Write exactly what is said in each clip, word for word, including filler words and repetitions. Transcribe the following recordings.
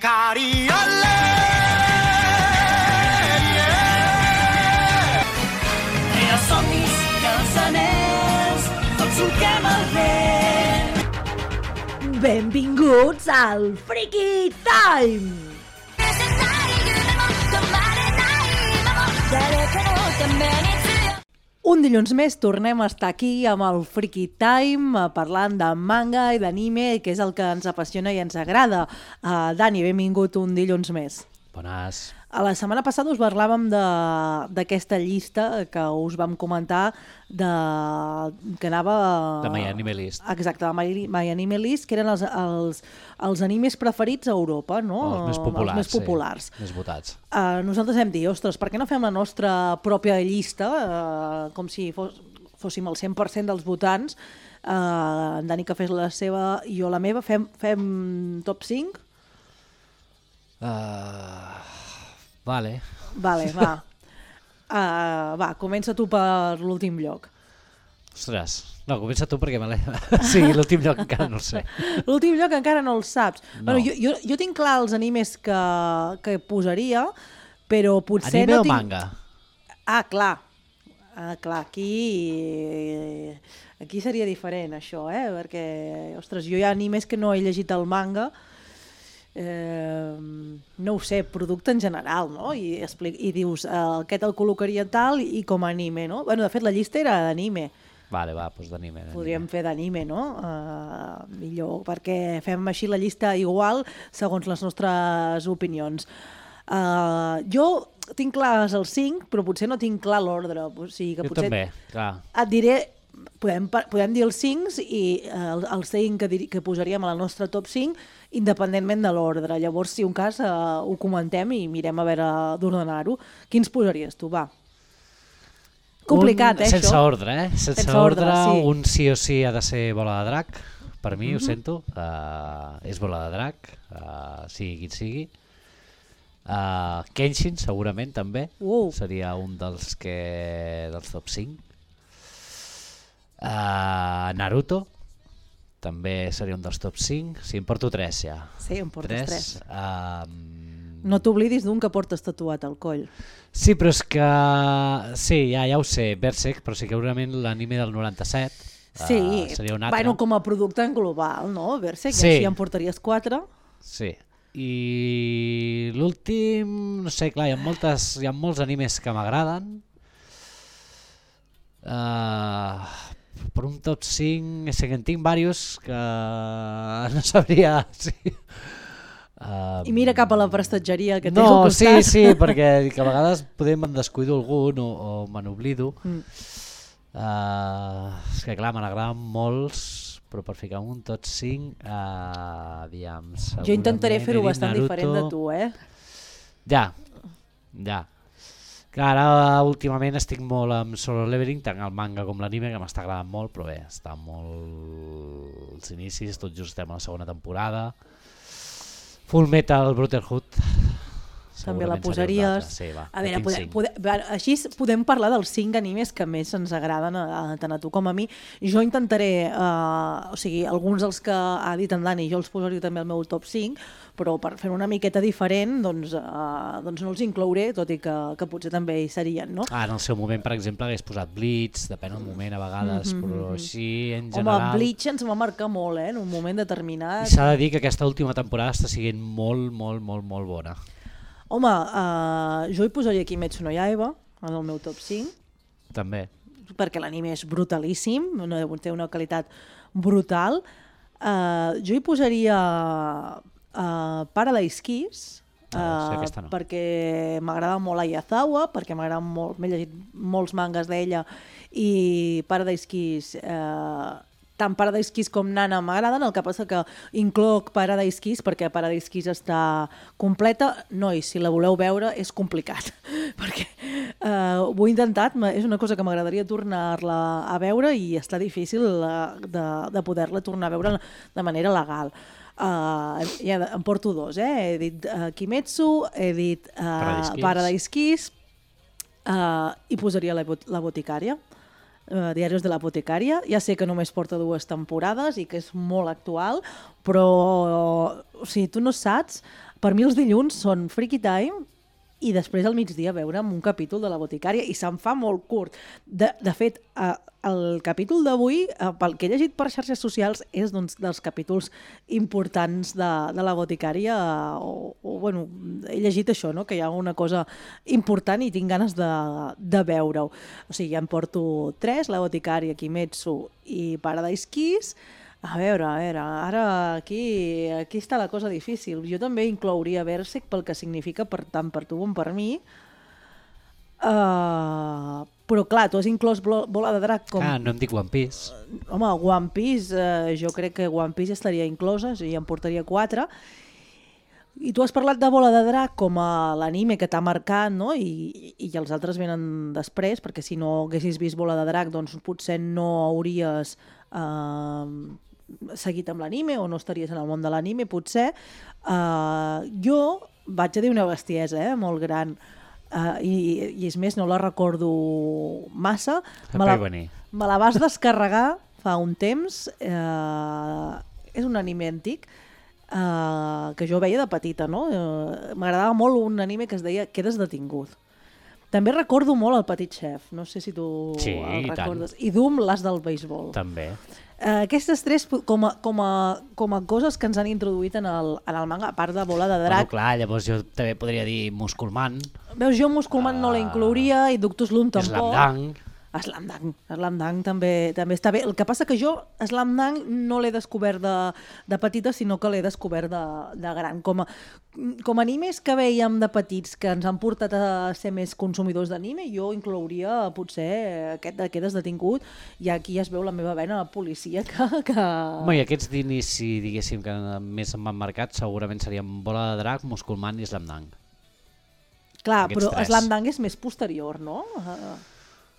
Ikari, olé! I els somnis i els anells, tots solquem el vent. Benvinguts al Freaky Time! Un dilluns més tornem a estar aquí amb el Freaky Time parlant de manga i d'anime, que és el que ens apassiona i ens agrada. Uh, Dani, benvingut un dilluns més. Bones. A la setmana passada us parlàvem d'aquesta llista que us vam comentar de, que anava... De My Anime List. Exacte, de My, My Anime List, que eren els, els, els animes preferits a Europa, no? Els més populars, els més populars. Sí, més votats. Uh, nosaltres hem dit, ostres, per què no fem la nostra pròpia llista, uh, com si fos, fóssim el cent per cent dels votants, uh, en Dani que fes la seva i jo la meva, fem, fem top cinc? Uh, vale. Vale, va. Uh, va, comença tu per l'últim lloc. Ostres, no, comença tu perquè me l'he... Sí, l'últim lloc encara no el sé. L'últim lloc encara no el saps. No. Bueno, jo, jo, jo tinc clar els animes que, que posaria, però potser Anime no o tinc... manga? Ah, clar. Ah, clar, aquí... Aquí seria diferent, això, eh? Perquè, ostres, jo hi ha animes que no he llegit el manga, eh, no ho sé, producte en general, no? I, explic, i dius, eh, aquest el col·locaria tal i com a anime, no? Bueno, de fet, la llista era d'anime. Vale, va, doncs d'anime. Podríem fer d'anime, no? Uh, millor, perquè fem així la llista igual segons les nostres opinions. Uh, jo tinc clars els cinc, però potser no tinc clar l'ordre. O sigui que jo potser també, clar. Et diré, podem, podem dir els cinc i uh, els cinc que, dir, que posaríem a la nostra top cinc independentment de l'ordre. Llavors, si un cas, uh, ho comentem i mirem a veure d'ordenar-ho. Quins posaries tu, va? Complicat, un, eh, sense això? ordre, eh? Sense, sense ordre, ordre sí. Un sí o sí ha de ser Bola de Drac. Per mi, mm-hmm. Ho sento. Uh, és Bola de Drac, uh, sigui qui sigui. Uh, Kenshin, segurament, també. Uh. Seria un dels que dels top cinc. Uh, Naruto, també seria un dels top cinc. Sí, em porto tres, ja. Sí, em portes tres. tres. Uh, No t'oblidis d'un que portes tatuat al coll. Sí, però és que... Sí, ja, ja ho sé, Berserk, però segurament l'anime del noranta-set sí, uh, seria un altre. Bueno, com a producte en global, no? Berserk, sí. Així en portaries quatre. Sí, i l'últim, no sé, clar, hi ha, moltes, hi ha molts animes que m'agraden. Uh, per un top cinc, és que en tinc diversos que no sabria... Sí. Um, I mira cap a la prestatgeria que té no, al costat. sí, sí, perquè que a vegades podem me'n descuido algun o, o me n'oblido. Mm. Uh, és que clar, me n'agraden molts, però per ficar un tot cinc, uh, aviam, jo intentaré fer-ho bastant Naruto. Diferent de tu, eh? Ja, ja. Clar, ara últimament estic molt amb Solo Leveling, tant el manga com l'anime, que m'està agradant molt, però bé, està molt als inicis, tot just estem a la segona temporada. Full Metal Brotherhood també la posaries. Sí, va, a veure, podem, podem, així podem parlar dels cinc animes que més ens agraden a, a, tant a tu com a mi. Jo intentaré, uh, o sigui, alguns dels que ha dit en Dani, jo els posaria també al meu top cinc, però per fer una miqueta diferent, doncs, uh, doncs no els inclouré, tot i que, que potser també hi serien, no? Ah, en el seu moment, per exemple, hagués posat Bleach, depèn del moment a vegades, mm-hmm. però així en general... Home, Bleach ens va marcar molt, eh, en un moment determinat. I s'ha de dir que aquesta última temporada està sent molt, molt, molt, molt bona. Home, uh, jo hi posaria Kimetsu no Yaiba en el meu top cinc. També. Perquè l'anime és brutalíssim, té una qualitat brutal. Uh, jo hi posaria uh, Paradise Kiss, uh, no, sí, no. perquè m'agrada molt Ayazawa, perquè m'agrada molt, m'he llegit molts mangas d'ella, i Paradise Kiss... Uh, tant Paradise Kiss com Nana m'agraden, el que passa que incloc Paradise Kiss perquè Paradise Kiss està completa. Nois, si la voleu veure és complicat, perquè uh, ho he intentat, és una cosa que m'agradaria tornar-la a veure i està difícil uh, de, de poder-la tornar a veure de manera legal. Uh, ja em porto dos, eh? He dit uh, Kimetsu, he dit uh, Paradise Kiss, Paradise Kiss uh, i posaria la, la boticària. Uh, Diaris de l'apotecària. Ja sé que només porta dues temporades i que és molt actual, però o sigui, tu no saps Per mi els dilluns són Freaky Time i després al migdia veure'm un capítol de La Boticària i se'm fa molt curt. De, de fet, eh, el capítol d'avui, eh, pel que he llegit per xarxes socials, és doncs, dels capítols importants de, de La Boticària, eh, o, o bueno, he llegit això, no? Que hi ha una cosa important i tinc ganes de, de veure-ho. O sigui, ja em porto tres, La Boticària, Kimetsu i Paradise Kiss. A veure, a veure, ara aquí, aquí està la cosa difícil. Jo també inclouria Berserk pel que significa per, tant per tu com per mi. Uh, però clar, tu has inclòs Bola de Drac com... Ah, no em dic One Piece. Uh, home, One Piece, uh, jo crec que One Piece estaria inclosa, i em portaria quatre. I tu has parlat de Bola de Drac com a l'anime que t'ha marcat, no? I, i els altres venen després, perquè si no haguessis vist Bola de Drac, doncs potser no hauries... Uh, seguit amb l'anime o no estaries en el món de l'anime, potser. Uh, jo vaig a dir una bestiesa, eh, molt gran, uh, i, i és més, no la recordo massa. Me la, me la vas descarregar fa un temps. Uh, és un anime antic uh, que jo veia de petita, no? Uh, m'agradava molt un anime que es deia Quedes detingut. També recordo molt el Petit Chef, no sé si tu sí, el recordes. Tant. I Doom, l'as del béisbol. També. Uh, aquestes tres com a, com, a, com a coses que ens han introduït en el, en el manga, a part de Bola de Drac. Bueno, clar, llavors jo també podria dir Musculman. Veus, jo Musculman uh, no la inclouria i Doctor Slump tampoc. Slamdang. Slamdang, Slamdang també, també està bé. El que passa que jo Slamdang no l'he descobert de, de petita, sinó que l'he descobert de, de gran. Com a, com a animes que veiem de petits que ens han portat a ser més consumidors d'anime, jo inclouria potser aquest de Quedes detingut, i aquí ja es veu la meva vena policíaca. Que... Home, i aquests d'inici, diguéssim, que més m'han marcat, segurament serien Bola de Drac, Musculman i Slamdang. Clar, aquests però tres. Slamdang és més posterior, no? Uh...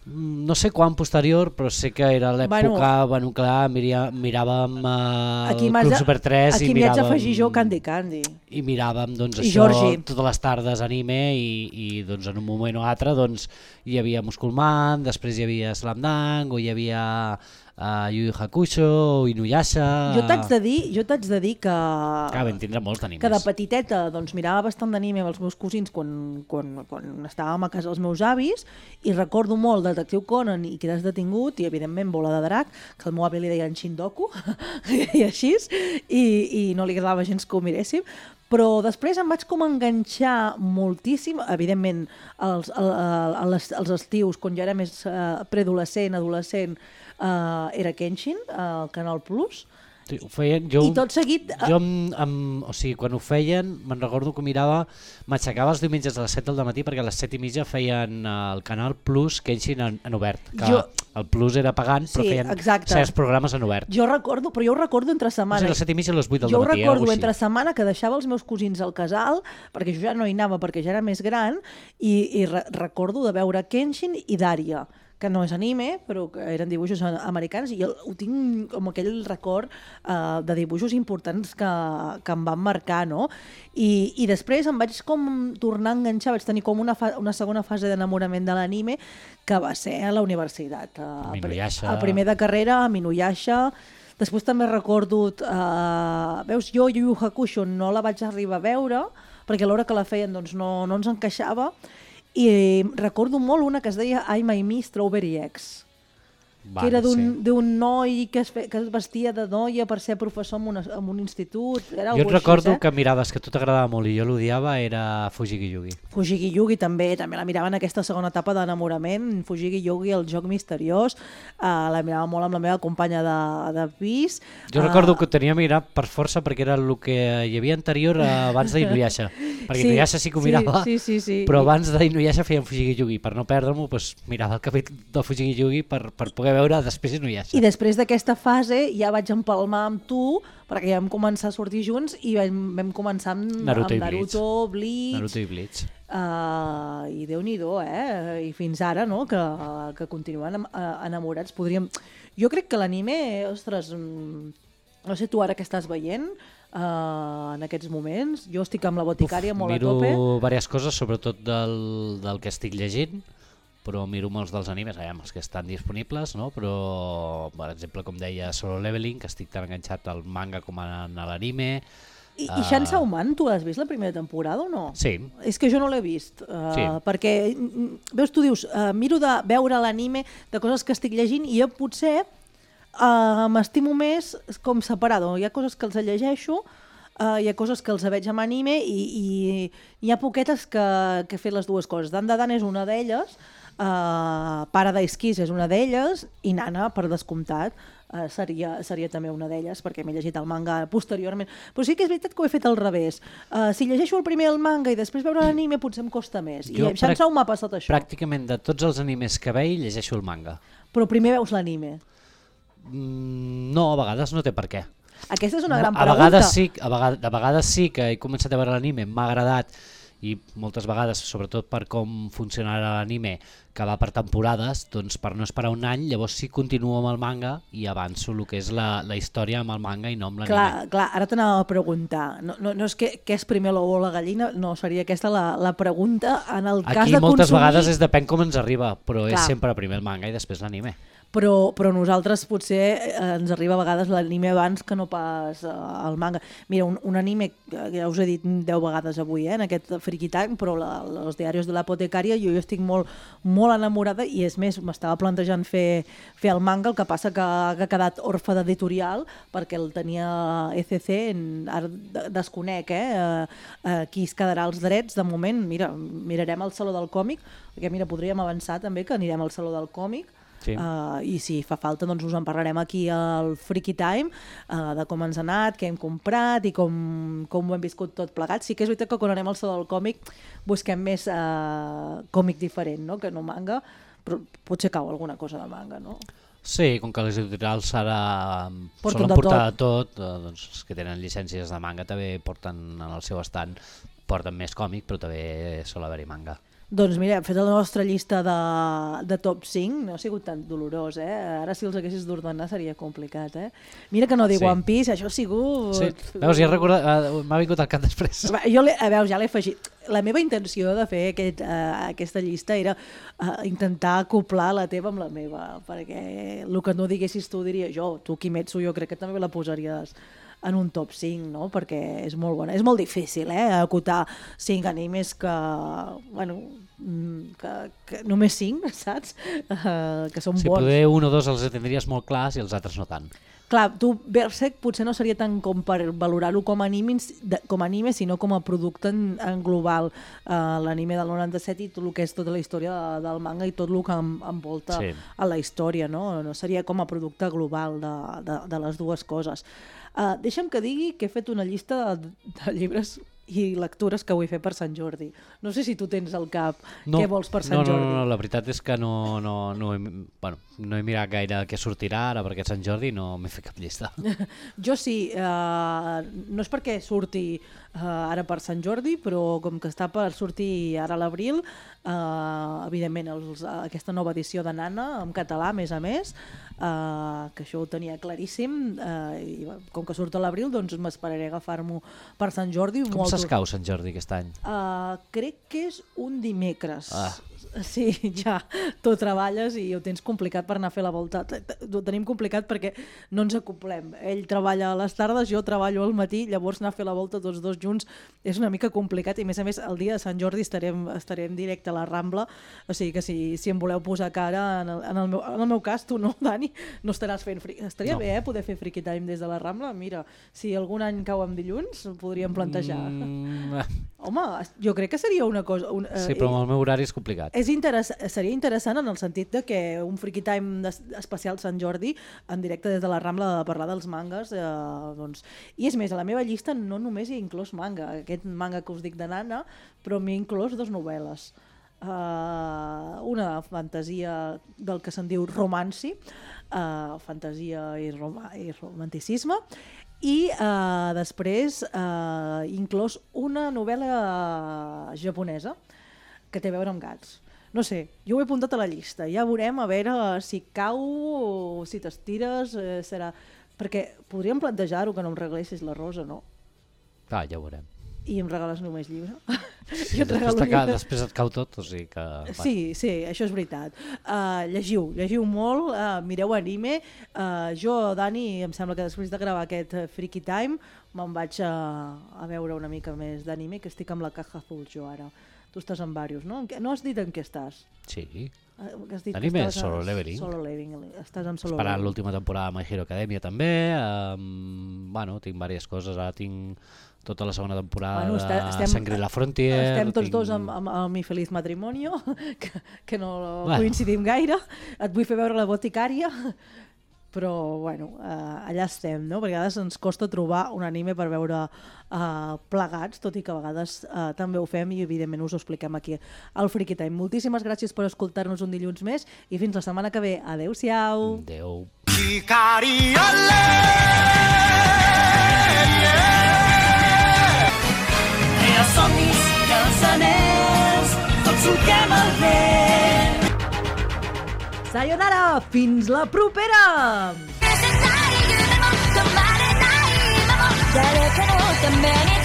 No sé quan posterior, però sé que era l'època, bueno, bueno, clar, miria, miràvem uh, el Club Super tres aquí i miràvem... Aquí m'hi haig d'afegir jo Candy Candy. I miràvem doncs, I això Georgie. totes les tardes anime i, i doncs, en un moment o altre doncs, hi havia Musculman, després hi havia Slamdang, o hi havia uh, Yu Yu Hakusho, o Inuyasha... Jo t'haig de dir, jo t'haig de dir que... Clar, vam tindre molts d'animes. Que de petiteta doncs, mirava bastant d'anime amb els meus cosins quan, quan, quan estàvem a casa dels meus avis, i recordo molt Detectiu Conan i Quedes detingut, i evidentment Bola de Drac, que el meu avi li deien Shindoku, i així, i, i no li agradava gens que ho miréssim, però després em vaig com enganxar moltíssim, evidentment els, els, els estius, quan jo era més uh, preadolescent, adolescent, uh, era Kenshin, al uh, Canal Plus. Sí, ho feien, jo, I tot seguit... Jo, amb, amb, o sigui, quan ho feien, me'n recordo que mirava, m'aixecava els diumenges a les set del matí perquè a les set i mitja feien el Canal Plus Kenshin en, en obert, que jo... el Plus era pagant, però sí, feien exacte. certs programes en obert. Jo recordo, però jo ho recordo entre setmana. No sé, a les set i mitja a les vuit del jo matí. Jo recordo eh, entre setmana que deixava els meus cosins al casal, perquè jo ja no hi anava perquè ja era més gran, i, i re recordo de veure Kenshin i Daria, que no és anime, però que eren dibuixos americans, i jo ho tinc com aquell record uh, de dibuixos importants que, que em van marcar, no? I, i després em vaig com tornar a enganxar, vaig tenir com una, una segona fase d'enamorament de l'anime, que va ser a la universitat. Uh, Inuyasha. El primer de carrera, amb Inuyasha. Després també recordo, uh, veus, jo Yu Yu Hakusho no la vaig arribar a veure, perquè a l'hora que la feien doncs, no, no ens encaixava, i recordo molt una que es deia I My Me Strawberry Eggs, vale, que era d'un sí. noi que es, fe, que es vestia de noia per ser professor en, una, en un institut. Era jo et recordo així, eh? que miraves, que a tu t'agradava molt i jo l'odiava, era Fujigi Yugi. Fujigi Yugi també, també la mirava en aquesta segona etapa d'enamorament. Fujigi Yugi, el joc misteriós, uh, la mirava molt amb la meva companya de, de pis. Jo uh, recordo que ho tenia mirat per força perquè era el que hi havia anterior abans d'Inuyasha, perquè sí, Inuyasha sí que ho mirava, sí, sí, sí, sí. però abans d'Inuyasha feien Fujigi Yugi, per no perdre-m'ho doncs mirava el capítol de Fujigi Yugi per, per poder veure després Inuyasha. I després d'aquesta fase ja vaig empalmar amb tu, perquè ja vam començar a sortir junts i vam, vam començar amb Naruto, amb Naruto, Bleach, Naruto i Bleach. Uh, i Déu-n'hi-do, eh? I fins ara, no?, que, que continuen enamorats. Podríem... Jo crec que l'anime, ostres, no sé tu ara què estàs veient, uh, en aquests moments. Jo estic amb La Boticària molt miro a tope. Miro diverses coses, sobretot del, del que estic llegint, però miro molts dels animes, aviam, els que estan disponibles, no? Però, per exemple, com deia, Solo Leveling, que estic tan enganxat al manga com a l'anime, I, i Chainsaw Man, tu has vist la primera temporada o no? Sí. És que jo no l'he vist, uh, Sí. perquè, veus, tu dius, uh, miro de veure l'anime de coses que estic llegint i jo potser uh, m'estimo més com separado. Hi ha coses que els llegeixo, uh, hi ha coses que els veig amb anime i, i hi ha poquetes que, que he fet les dues coses. Dan Dan és una d'elles, uh, Paradise Kiss és una d'elles i Nana, per descomptat, Uh, seria, seria també una d'elles, perquè m'he llegit el manga posteriorment. Però sí que és veritat que ho he fet al revés. Uh, si llegeixo el primer el manga i després veure l'anime potser em costa més. Jo I amb Chainsaw m'ha passat això. Pràcticament de tots els animes que veig llegeixo el manga. Però primer veus l'anime. Mm, no, a vegades no té per què. Aquesta és una No, gran a pregunta. vegades sí, a vegades, a vegades sí que he començat a veure l'anime, m'ha agradat i moltes vegades, sobretot per com funcionarà l'anime, que va per temporades, doncs per no esperar un any, llavors sí continuo amb el manga i avanço el que és la, la història amb el manga i no amb l'anime. Clar, clar, ara t'anava a preguntar. No, no, no és que, que és primer l'ou o la gallina, no, seria aquesta la, la pregunta en el cas Aquí de moltes consumir... vegades és depèn com ens arriba, però Clar. és sempre primer el manga i després l'anime. Però, però nosaltres potser eh, ens arriba a vegades l'anime abans que no pas eh, el manga. Mira, un, un anime que ja us he dit deu vegades avui, eh, en aquest Friki Time, però la, els diaris de l'apotecària jo, jo estic molt, molt enamorada i és més, m'estava plantejant fer, fer el manga, el que passa que, que ha quedat orfe d'editorial perquè el tenia E C C, en, ara de- desconec eh, eh, qui es quedarà els drets de moment. Mira, mirarem el Saló del Còmic, perquè mira, podríem avançar també que anirem al Saló del Còmic. Sí. Uh, i si fa falta doncs us en parlarem aquí al Freaky Time uh, de com ens ha anat, què hem comprat i com, com ho hem viscut tot plegat. Sí que és veritat que quan anem al Saló del Còmic busquem més uh, còmic diferent, no? Que no manga, però potser cau alguna cosa de manga, no? Sí, com que les editorials ara Porten solen de portar de tot, eh, doncs els que tenen llicències de manga també porten en el seu estant, porten més còmic, però també sol haver-hi manga. Doncs mira, hem fet la nostra llista de, de top cinc, no ha sigut tan dolorós, eh? Ara si els haguessis d'ordenar seria complicat, eh? Mira que no dic Sí. One Piece, això ha sigut... Sí. Veus, ja he recordat, eh, m'ha vingut al cap després. Va, Jo, l'he- a veure, ja l'he afegit. La meva intenció de fer aquest, uh, aquesta llista era uh, intentar acoplar la teva amb la meva, perquè el que no diguessis tu diria jo, tu Kimetsu jo crec que també la posaries en un top cinc, no? Perquè és molt bona. És molt difícil, eh? Acotar cinc animes que, bueno, mm, que, que només cinc, saps? Uh, que són Si bons. poder un o dos els tindries molt clars i els altres no tant. Clar, tu Berserk potser no seria tant com per valorar-lo com a anime, de- com a anime, sinó com a producte en, en global. Uh, L'anime del noranta-set i tot el que és tota la història de, del manga i tot el que en, envolta Sí. a la història, no? No seria com a producte global de, de, de les dues coses. Uh, deixa'm que digui que he fet una llista de, de llibres i lectures que vull fer per Sant Jordi. No sé si tu tens al cap què vols per Sant no, no, Jordi. No, no, la veritat és que no, no, no, he, bueno, no he mirat gaire què sortirà ara perquè és Sant Jordi i no m'he fet cap llista. Jo sí, uh, no és perquè surti uh, ara per Sant Jordi, però com que està per sortir ara a l'abril, uh, evidentment els, uh, aquesta nova edició de Nana, en català a més a més, uh, que això ho tenia claríssim, uh, i com que surt a l'abril doncs m'esperaré a agafar-m'ho per Sant Jordi. Com molt- s'escau Sant Jordi aquest any? Uh, crec que és un dimecres. Ah. Sí, ja, tu treballes i ho tens complicat per anar a fer la volta. T- t- Ho tenim complicat perquè no ens acoplem. Ell treballa a les tardes, jo treballo al matí, llavors anar a fer la volta tots dos junts és una mica complicat i a més a més el dia de Sant Jordi estarem, estarem directe a la Rambla, o sigui que si, si em voleu posar cara, en el, en el, meu, en el meu cas, tu no, Dani, no estaràs fent... Fri... Estaria No. bé, eh, poder fer Freaky Time des de la Rambla. Mira, si algun any cau en dilluns, ho podríem plantejar. Mm, Home, jo crec que seria una cosa... Un, eh, sí, però amb el meu horari és complicat. és interess seria interessant en el sentit de que un Freaky Time des- especial Sant Jordi en directe des de la Rambla de parlar dels mangas, eh, doncs... I és més, a la meva llista no només hi he inclòs manga, aquest manga que us dic de Nana, però m'he inclòs dues novel·les. Uh, una de fantasia del que se'n diu romanci, uh, fantasia i, roma i romanticisme, i uh, després uh, inclòs una novel·la japonesa que té a veure amb gats. No sé, jo ho he apuntat a la llista, ja veurem a veure si cau o si t'estires, eh, serà... Perquè podríem plantejar-ho que no em regalessis la rosa, no? Clar, ja ho veurem. I em regales només llibre. Sí, després, ca... després et cau tot, o sigui que... Sí, sí, això és veritat. Uh, llegiu, llegiu molt, uh, mireu anime. Uh, jo, Dani, em sembla que després de gravar aquest uh, Freaky Time me'n vaig a, a veure una mica més d'anime, que estic amb la caja azul jo ara. Tu estàs en diversos, no? No has dit en què estàs? Sí. Anime és Solo Leveling. Solo Leveling, estàs amb Solo Esperant Leveling. l'última temporada de My Hero Academia també. Um, bueno, tinc diverses coses. Ara tinc tota la segona temporada bueno, estem, de Shangri-La Frontier. Estem tots tinc... dos amb, amb, amb Mi Feliz Matrimonio, que, que no bueno. coincidim gaire. Et vull fer veure La Boticària, però bueno, uh, allà estem, no? Perquè a vegades ens costa trobar un anime per veure uh, plegats, tot i que a vegades uh, també ho fem i evidentment us ho expliquem aquí al Freaky Time. Moltíssimes gràcies per escoltar-nos un dilluns més i fins la setmana que ve. Adéu-siau. Adéu. Els somnis i els anells, tots solquem el vent. Sayonara, fins la propera! 誰かのために